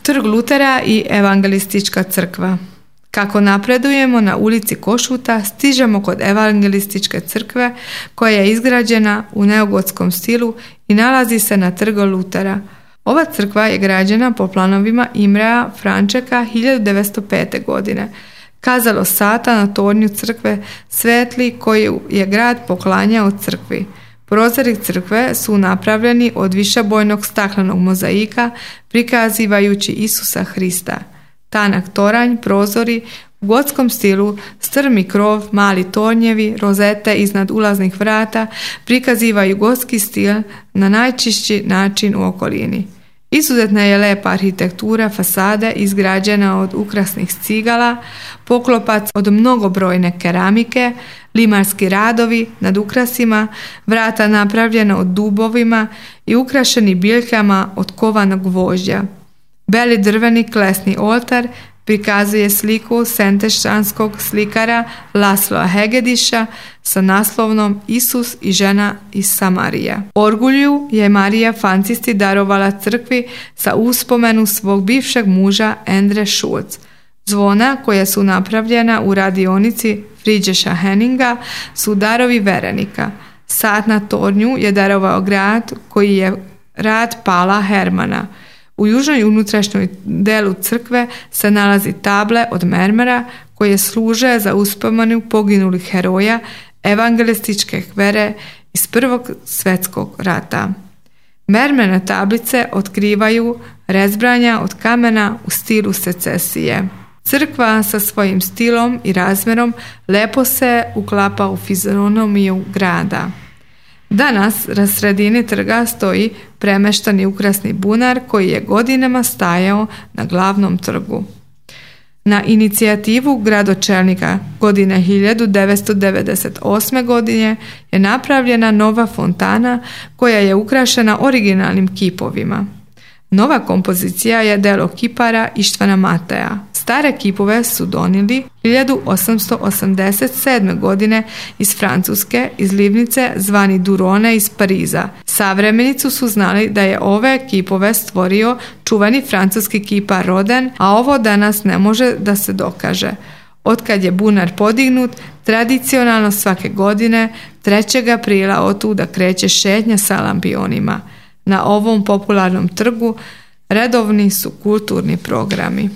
Trg Lutera i Evangelistička crkva. Kako napredujemo na ulici Košuta, stižemo kod Evangelističke crkve koja je izgrađena u neogotskom stilu i nalazi se na trgu Lutera. Ova crkva je građena po planovima Imrea Frančeka 1905. godine. Kazalo sata na tornju crkve svetli koju je grad poklanjao crkvi. Prozori crkve su napravljeni od višebojnog staklenog mozaika prikazivajući Isusa Hrista. Tanak toranj, prozori u gotskom stilu, strmi krov, mali tornjevi, rozete iznad ulaznih vrata prikazivaju gotski stil na najčišći način u okolini. Izuzetna je lepa arhitektura fasade izgrađena od ukrasnih cigala, poklopac od mnogobrojne keramike, limarski radovi nad ukrasima, vrata napravljena od dubovima i ukrašeni biljkama od kovanog gvožđa. Beli drveni klesni oltar prikazuje sliku sentešćanskog slikara Lasloa Hegediša sa naslovnom Isus i žena iz Samarija. Orgulju je Marija Fancisti darovala crkvi sa uspomenu svog bivšeg muža Endre Schulz. Zvona koja su napravljena u radionici Friedricha Henninga su darovi verenika. Sat na tornju je darovao grad koji je rad Pala Hermana. U južnoj unutrašnjoj delu crkve se nalazi table od mermera koje služe za uspomenu poginulih heroja evangelističke vere iz Prvog svjetskog rata. Mermerne tablice otkrivaju rezbranja od kamena u stilu secesije. Crkva sa svojim stilom i razmjerom lepo se uklapa u fizionomiju grada. Danas na sredini trga stoji premeštani ukrasni bunar koji je godinama stajao na glavnom trgu. Na inicijativu gradočelnika godine 1998. godine je napravljena nova fontana koja je ukrašena originalnim kipovima. Nova kompozicija je delo kipara Ištvana Mateja. Stare kipove su donijeli 1887. godine iz Francuske, iz livnice zvani Durone iz Pariza. Savremenicu su znali da je ove kipove stvorio čuveni francuski kipar Rodin, a ovo danas ne može da se dokaže. Otkad je bunar podignut, tradicionalno svake godine 3. aprila otuda kreće šetnja sa lampionima. Na ovom popularnom trgu redovni su kulturni programi.